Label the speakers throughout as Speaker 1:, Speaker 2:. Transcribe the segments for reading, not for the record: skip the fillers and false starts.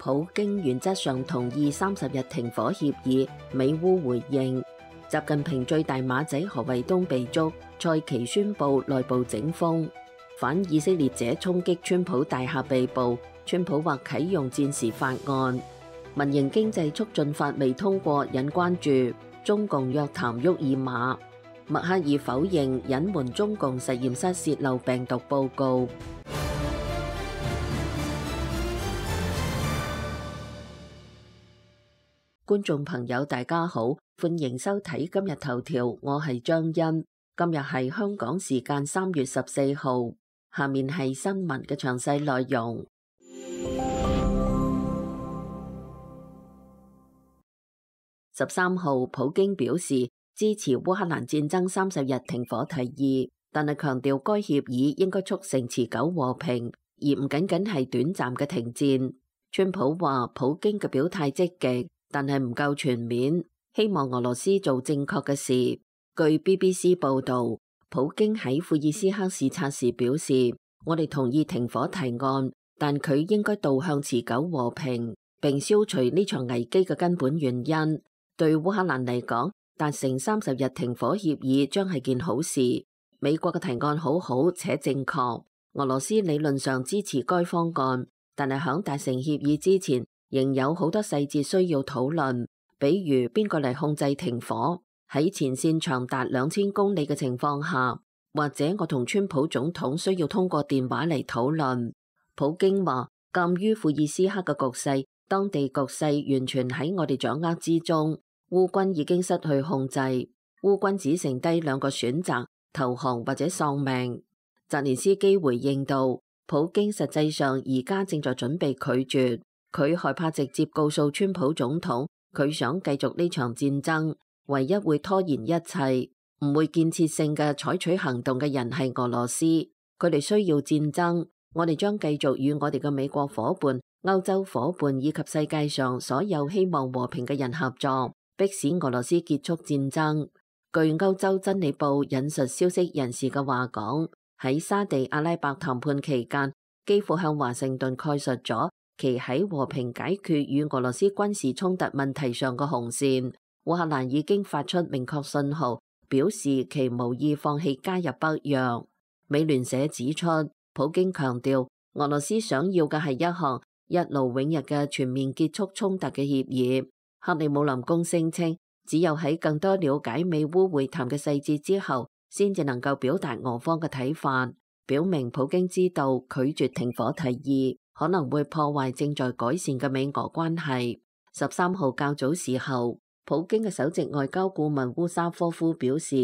Speaker 1: 普京原則上同意30日停火協議，美烏回應。習近平最大馬仔何衛東被捉，蔡奇宣布內部整風。反以色列者衝擊川普大廈被捕，川普或啟用戰時法案。民營經濟促進法未通過引關注，中共約談沃爾瑪。默克爾否認隱瞞中共實驗室洩漏病毒報告。觀眾朋友大家好，歡迎收睇今日頭條，我係張欣。今日係香港時間3月14號，下面係新聞嘅詳細內容。13號，普京表示支持烏克蘭戰爭30日停火提議，但係強調該協議應該促成持久和平，而唔僅僅係短暫嘅停戰。川普話普京嘅表態積極，但係唔夠全面，希望俄羅斯做正確嘅事。據 BBC 報導，普京喺庫爾斯克視察時表示，我哋同意停火提案，但佢應該導向持久和平，並消除呢場危機嘅根本原因。對烏克蘭嚟講，達成30日停火協議將係件好事。美國嘅提案好好且正確，俄羅斯理論上支持該方案，但係響達成協議之前，仍有好多細節需要討論，比如邊個嚟控制停火，喺前線長達2000公里嘅情況下，或者我同川普總統需要通過電話嚟討論。普京話，鑒於庫爾斯克嘅局勢，當地局勢完全喺我哋掌握之中，烏軍已經失去控制，烏軍只剩低2個選擇，投降或者喪命。澤連斯基回應道，普京實際上而家正在準備拒絕。佢害怕直接告訴川普總統，佢想繼續呢場戰爭，唯一會拖延一切，唔會建設性嘅採取行動嘅人係俄羅斯。佢哋需要戰爭，我哋將繼續與我哋嘅美國伙伴、歐洲伙伴以及世界上所有希望和平嘅人合作，迫使俄羅斯結束戰爭。據歐洲真理報引述消息人士嘅話講，喺沙地阿拉伯談判期間，幾乎向華盛頓概述咗其喺和平解決與俄羅斯軍事衝突問題上嘅紅線。烏克蘭已經發出明確信號，表示其無意放棄加入北約。美聯社指出，普京強調俄羅斯想要嘅係一項一勞永逸嘅全面結束衝突嘅協議。克里姆林宮聲稱，只有喺更多了解美烏會談嘅細節之後，先至能夠表達俄方嘅睇法，表明普京知道拒絕停火提議可能會破壞正在改善嘅美俄關係。13號較早時候，普京嘅首席外交顧問烏沙科夫表示，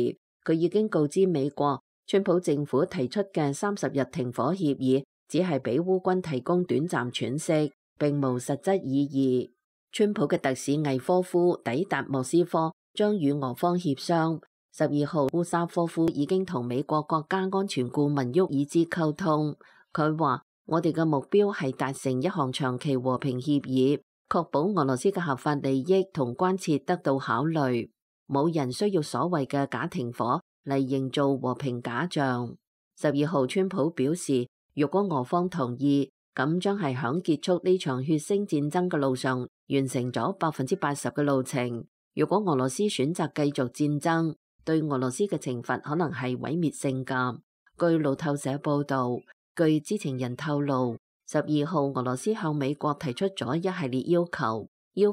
Speaker 1: 佢已經告知美國，川普政府提出嘅30日停火協議只係俾烏軍提供短暫喘息，並無實質意義。川普嘅特使魏科夫抵達莫斯科，將與俄方協商。12號，烏沙科夫已經同美國國家安全顧問沃爾茲溝通，佢話，我哋嘅目標係達成一項長期和平協議，確保俄羅斯嘅合法利益同關切得到考慮。冇人需要所謂嘅假停火嚟營造和平假象。12號，川普表示，如果俄方同意，咁將係響結束呢場血腥戰爭嘅路上完成咗80%嘅路程。如果俄羅斯選擇繼續戰爭，對俄羅斯嘅懲罰可能係毀滅性㗎。據路透社報導，據知情人透露，12號俄羅斯向美國提出咗一系列要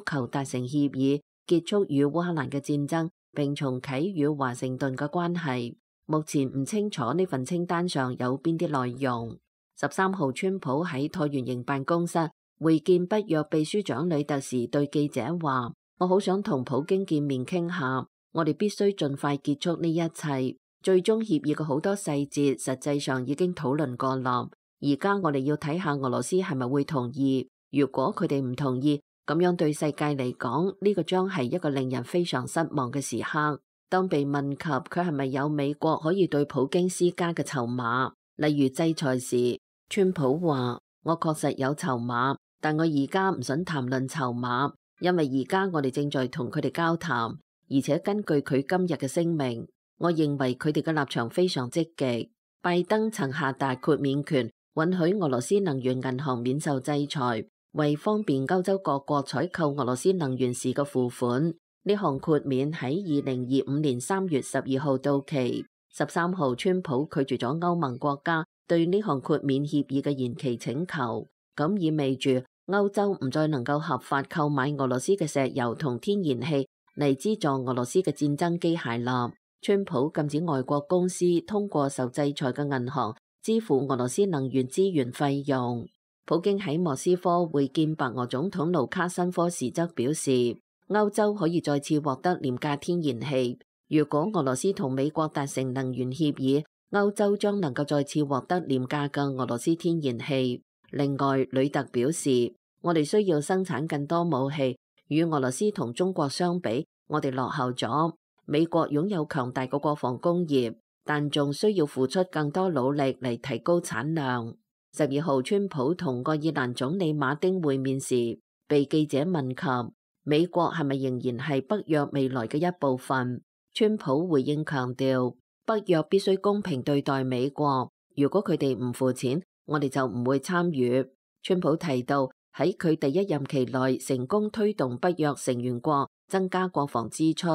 Speaker 1: 求達成協議，結束與烏克蘭嘅戰爭，並重啟與華盛頓嘅關係。目前唔清楚呢份清單上有邊啲內容。13號，川普喺橢圓形辦公室會見北約秘書長呂特時對記者話，我好想同普京見面傾下，我哋必須盡快結束呢一切。最終協議嘅好多細節實際上已經討論過啦，而家我哋要睇下俄羅斯係咪會同意。如果佢哋唔同意，咁樣對世界嚟講，呢個將係一個令人非常失望嘅時刻。當被問及佢係咪有美國可以對普京施加嘅籌碼，例如制裁時，川普話，我確實有籌碼，但我而家唔想談論籌碼，因為而家我哋正在同佢哋交談，而且根據佢今日嘅聲明，我認為佢哋嘅立場非常積極。拜登曾下達豁免權，允許俄羅斯能源銀行免受制裁，為方便歐洲各國採購俄羅斯能源時嘅付款。呢項豁免喺2025年3月12號到期。13號，川普拒絕咗歐盟國家對呢項豁免協議嘅延期請求，咁意味住歐洲唔再能夠合法購買俄羅斯嘅石油同天然氣嚟資助俄羅斯嘅戰爭機械啦。川普禁止外國公司通過受制裁嘅銀行支付俄羅斯能源資源費用。普京喺莫斯科會見白俄總統盧卡申科時則表示，歐洲可以再次獲得廉價天然氣。如果俄羅斯同美國達成能源協議，歐洲將能夠再次獲得廉價嘅俄羅斯天然氣。另外，呂特表示，我哋需要生產更多武器，與俄羅斯同中國相比，我哋落後咗。美國擁有強大嘅國防工業，但仲需要付出更多努力嚟提高產量。12號，川普同愛爾蘭總理馬丁會面時，被記者問及美國係咪仍然係北約未來嘅一部分，川普回應強調，北約必須公平對待美國，如果佢哋唔付錢，我哋就唔會參與。川普提到喺佢第一任期內成功推動北約成員國增加國防支出，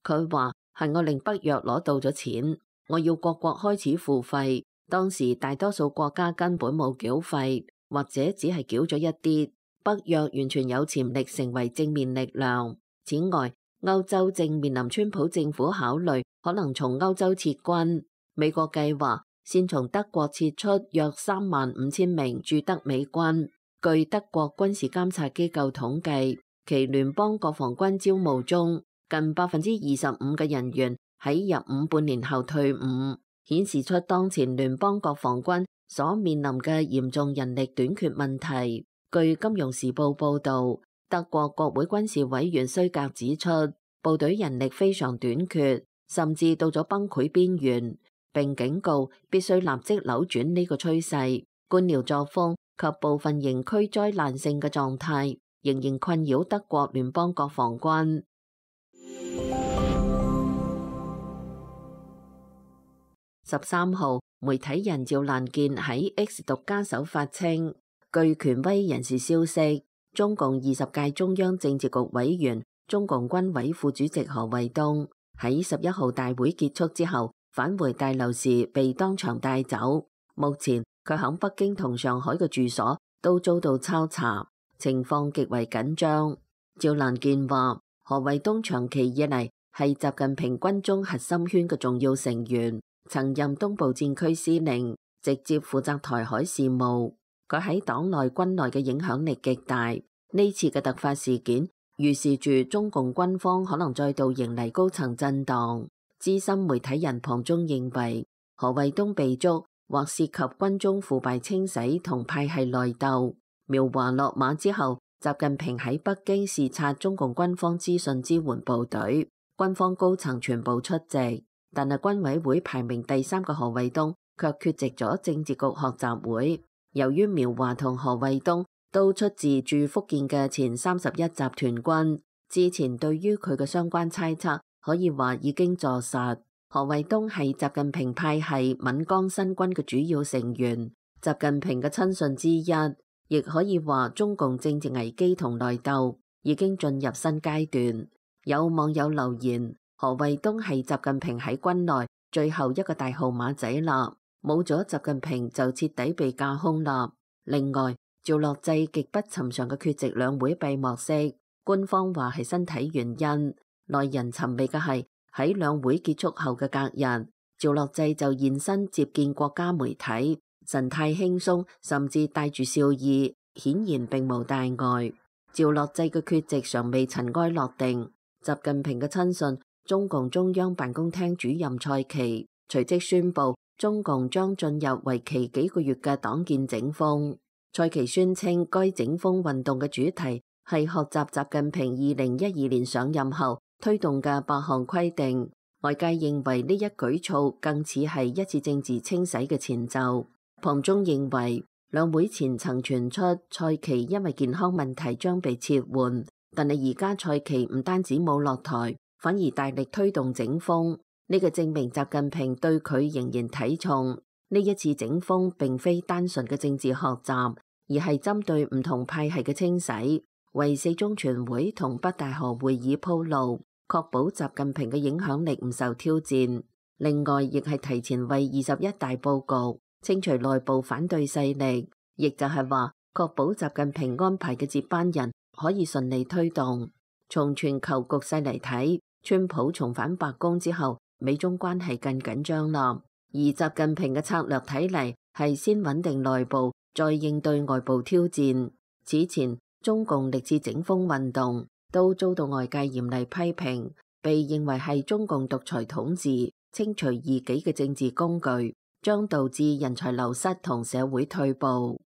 Speaker 1: 佢話係我令北約攞到咗錢，我要各國開始付費。當時大多數國家根本冇繳費，或者只係繳咗一啲。北約完全有潛力成為正面力量。此外，歐洲正面臨川普政府考慮可能從歐洲撤軍。美國計劃先從德國撤出約35000名駐德美軍。據德國軍事監察機構統計，其聯邦國防軍招募中近25%嘅人員喺入伍半年後退伍，顯示出當前聯邦國防軍所面臨嘅嚴重人力短缺問題。據金融時報報道，德國國會軍事委員須格指出，部隊人力非常短缺，甚至到咗崩潰邊緣，並警告必須立即扭轉呢個趨勢。官僚作風及部分營區災難性嘅狀態仍然困擾德國聯邦國防軍。13號，媒體人趙蘭健喺 X 獨家手發稱，據權威人士消息，中共20屆中央政治局委員、中共軍委副主席何衛東喺11號大會結束之後返回大樓時被當場帶走。目前佢喺北京同上海嘅住所都遭到抄查，情況極為緊張。趙蘭健話，何衛東長期以嚟係習近平軍中核心圈嘅重要成員，曾任東部戰區司令，直接負責台海事務。佢喺黨內軍內嘅影響力極大。呢次嘅突發事件預示住中共軍方可能再度迎嚟高層震盪。資深媒體人龐中認為，何衛東被捉或涉及軍中腐敗清洗同派系內鬥。苗華落馬之後，習近平喺北京視察中共軍方資訊支援部隊，軍方高層全部出席，但係軍委會排名第3嘅何衛東卻缺席咗政治局學習會。由於苗華同何衛東都出自駐福建嘅前31集團軍，之前對於佢嘅相關猜測可以話已經坐實。何衛東係習近平派系閩江新軍嘅主要成員，習近平嘅親信之一，亦可以話中共政治危機同內鬥已經進入新階段。有網友留言，何衛東係習近平喺軍內最後一個大號碼仔啦。冇咗習近平就徹底被架空啦。另外，趙樂際極不尋常嘅缺席兩會閉幕式，官方話係身體原因。耐人尋味嘅係喺兩會結束後嘅隔日，趙樂際就現身接見國家媒體，神態輕鬆，甚至帶住笑意，顯然並無大礙。趙樂際嘅缺席尚未塵埃落定，習近平嘅親信中共中央辦公廳主任蔡奇隨即宣布，中共將進入為期幾個月嘅黨建整風。蔡奇宣稱，該整風運動嘅主題係學習習近平2012年上任後推動嘅8項規定。外界認為呢一舉措更似係一次政治清洗嘅前奏。龐中認為，兩會前曾傳出蔡奇因為健康問題將被撤換，但係而家蔡奇唔單止冇落台，反而大力推動整風。呢個證明習近平對佢仍然睇重。呢一次整風並非單純嘅政治學習，而係針對唔同派系嘅清洗，為四中全會同北大河會議鋪路，確保習近平嘅影響力唔受挑戰。另外，亦係提前為21大佈局，清除內部反對勢力，亦就係話確保習近平安排嘅接班人可以順利推動。從全球局勢嚟睇，川普重返白宮之後，美中關係更緊張啦。而習近平嘅策略睇嚟係先穩定內部，再應對外部挑戰。此前中共歷次整風運動都遭到外界嚴厲批評，被認為係中共獨裁統治、清除異己嘅政治工具，將導致人才流失同社會退步。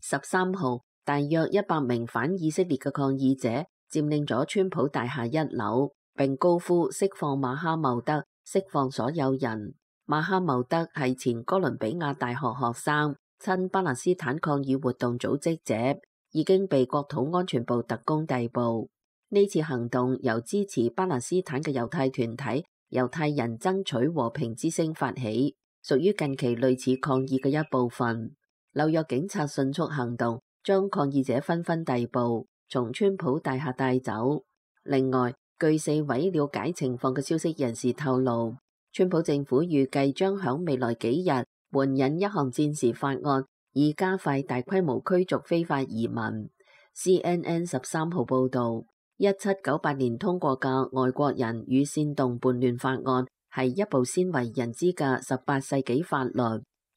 Speaker 1: 13號，大約100名反以色列嘅抗議者佔領咗川普大廈1樓，並高呼釋放馬哈茂德，釋放所有人。馬哈茂德係前哥倫比亞大學學生，親巴勒斯坦抗議活動組織者，已經被國土安全部特工逮捕。呢次行動由支持巴勒斯坦嘅猶太團體猶太人爭取和平之聲發起，屬於近期類似抗議嘅一部分。紐約警察迅速行動，將抗議者紛紛逮捕，從川普大廈帶走。另外，據4位了解情況嘅消息人士透露，川普政府預計將響未來幾日援引一項戰時法案，以加快大規模驅逐非法移民。CNN 13號報導，1798年通過嘅外國人與煽動叛亂法案係一部鮮為人知嘅18世紀法律。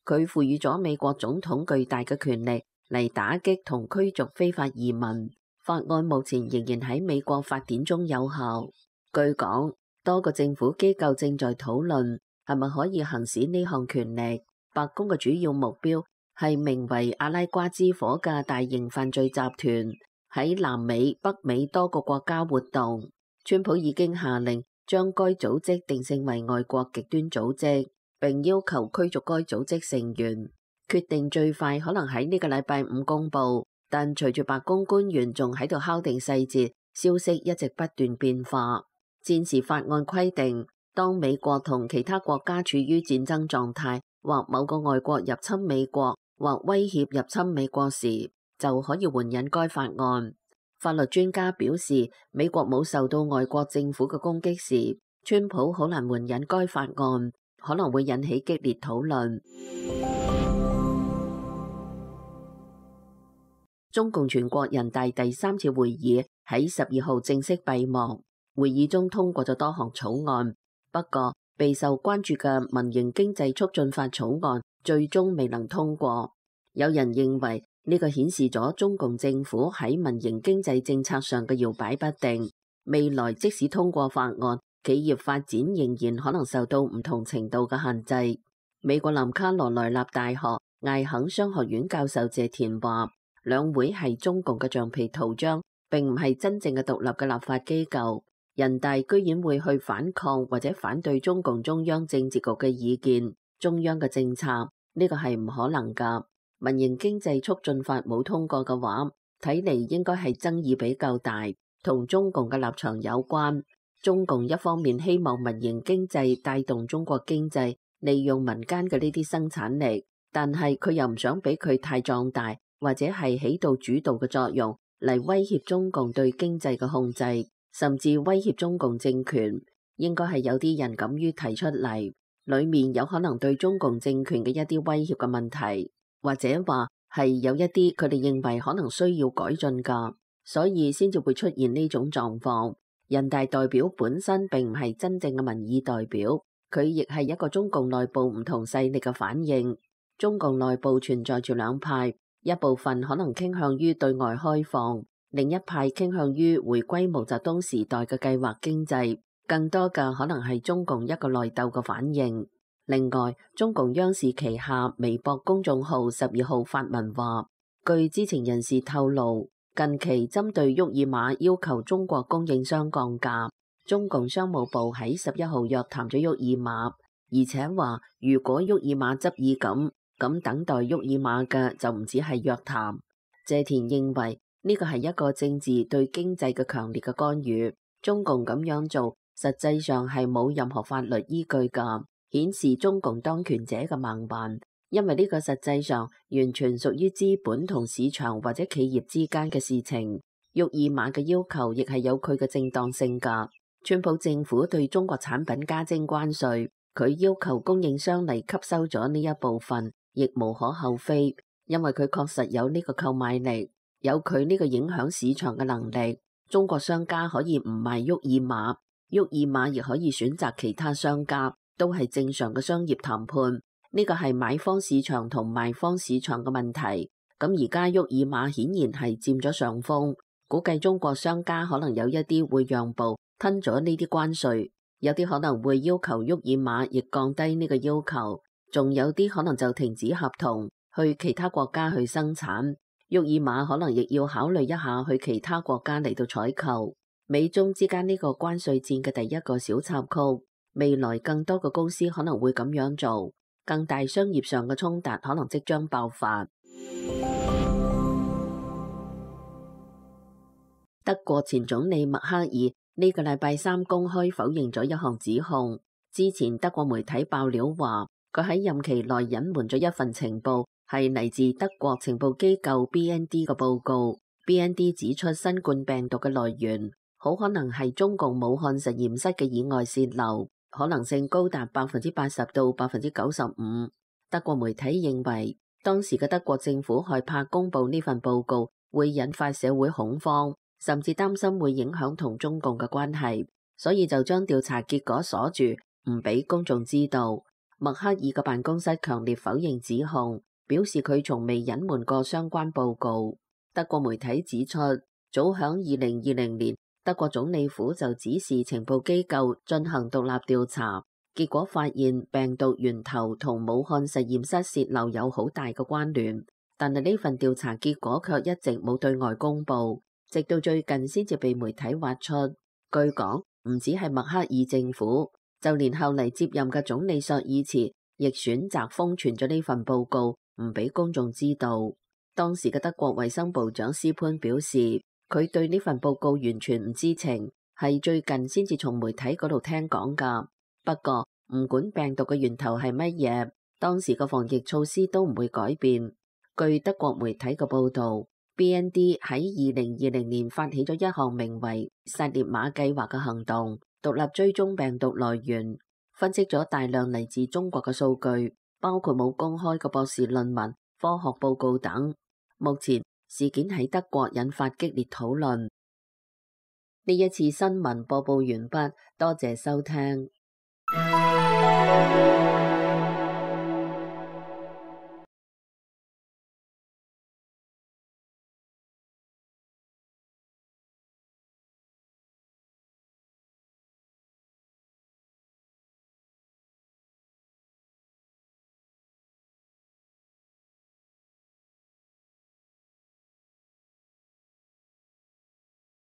Speaker 1: 佢賦予咗美國總統巨大嘅權力嚟打擊同驅逐非法移民。法案目前仍然喺美國法典中有效。據講，多個政府機構正在討論係咪可以行使呢項權力。白宮嘅主要目標係名為阿拉瓜之火嘅大型犯罪集團喺南美、北美多個國家活動。川普已經下令將該組織定性為外國極端組織，並要求驅逐該組織成員。決定最快可能喺呢個禮拜5公佈，但隨住白宮官員仲喺度敲定細節，消息一直不斷變化。戰時法案規定，當美國同其他國家處於戰爭狀態，或某個外國入侵美國，或威脅入侵美國時，就可以援引該法案。法律專家表示，美國冇受到外國政府嘅攻擊時，川普好難援引該法案，可能會引起激烈討論。中共全國人大第3次會議喺12號正式閉幕，會議中通過咗多項草案，不過備受關注嘅民營經濟促進法草案最終未能通過。有人認為呢個顯示咗中共政府喺民營經濟政策上嘅搖擺不定，未來即使通過法案，企業發展仍然可能受到唔同程度嘅限制。美國南卡羅來納大學艾肯商學院教授謝田話，兩會係中共嘅橡皮圖章，並唔係真正嘅獨立嘅立法機構。人大居然會去反抗或者反對中共中央政治局嘅意見、中央嘅政策，呢個係唔可能㗎。民營經濟促進法冇通過嘅話，睇嚟應該係爭議比較大，同中共嘅立場有關。中共一方面希望民營經濟帶動中國經濟，利用民間嘅呢啲生產力，但係佢又唔想俾佢太壯大，或者係起到主導嘅作用嚟威脅中共對經濟嘅控制，甚至威脅中共政權。應該係有啲人敢於提出嚟，裏面有可能對中共政權嘅一啲威脅嘅問題，或者話係有一啲佢哋認為可能需要改進㗎，所以先至會出現呢種狀況。人大代表本身並唔係真正嘅民意代表，佢亦係一個中共內部唔同勢力嘅反應。中共內部存在住兩派，一部分可能傾向於對外開放，另一派傾向於回歸毛澤東時代嘅計劃經濟，更多嘅可能係中共一個內鬥嘅反應。另外，中共央視旗下微博公眾號12號發文話，據知情人士透露，近期針對沃爾瑪要求中國供應商降價，中共商務部喺11號約談咗沃爾瑪，而且話如果沃爾瑪執意咁等待沃爾瑪嘅就唔止係約談。謝田認為呢個係一個政治對經濟嘅強烈嘅干預，中共咁樣做實際上係冇任何法律依據㗎。顯示中共當權者嘅盲辦，因為呢個實際上完全屬於資本同市場或者企業之間嘅事情。沃爾瑪嘅要求亦係有佢嘅正當性㗎。川普政府對中國產品加徵關稅，佢要求供應商嚟吸收咗呢一部分，亦無可厚非，因為佢確實有呢個購買力，有佢呢個影響市場嘅能力。中國商家可以唔賣沃爾瑪，沃爾瑪亦可以選擇其他商家，都係正常嘅商業談判。呢個係買方市場同賣方市場嘅問題。咁而家沃爾瑪顯然係佔咗上風，估計中國商家可能有一啲會讓步，吞咗呢啲關稅，有啲可能會要求沃爾瑪亦降低呢個要求，仲有啲可能就停止合同，去其他國家去生產。沃爾瑪可能亦要考慮一下去其他國家嚟到採購。美中之間呢個關稅戰嘅第一個小插曲，未來更多嘅公司可能會咁樣做，更大商業上嘅衝突可能即將爆發。德國前總理默克爾呢個禮拜三公開否認咗一項指控。之前德國媒體爆料話，佢喺任期內隱瞞咗一份情報，係嚟自德國情報機構 BND 嘅報告。BND 指出，新冠病毒嘅來源好可能係中共武漢實驗室嘅意外洩漏，可能性高達80%到95%。德國媒體認為，當時嘅德國政府害怕公佈呢份報告會引發社會恐慌，甚至擔心會影響同中共嘅關係，所以就將調查結果鎖住，唔俾公眾知道。默克爾嘅辦公室強烈否認指控，表示佢從未隱瞞過相關報告。德國媒體指出，早響2020年，德國總理府就指示情報機構進行獨立調查，結果發現病毒源頭同武漢實驗室洩漏有好大嘅關聯，但係呢份調查結果卻一直冇對外公佈。直到最近先至被媒體挖出。據講，唔止係默克爾政府，就連後嚟接任嘅總理朔爾茨亦選擇封存咗呢份報告，唔俾公眾知道。當時嘅德國衛生部長斯潘表示，佢對呢份報告完全唔知情，係最近先至從媒體嗰度聽講㗎。不過唔管病毒嘅源頭係乜嘢，當時嘅防疫措施都唔會改變。據德國媒體嘅報導，BND 喺2020年發起咗一項名為薩列馬計劃嘅行動，獨立追蹤病毒來源，分析咗大量嚟自中國嘅數據，包括冇公開嘅博士論文、科學報告等。目前事件喺德國引發激烈討論。呢一次新聞播報完畢，多謝收聽。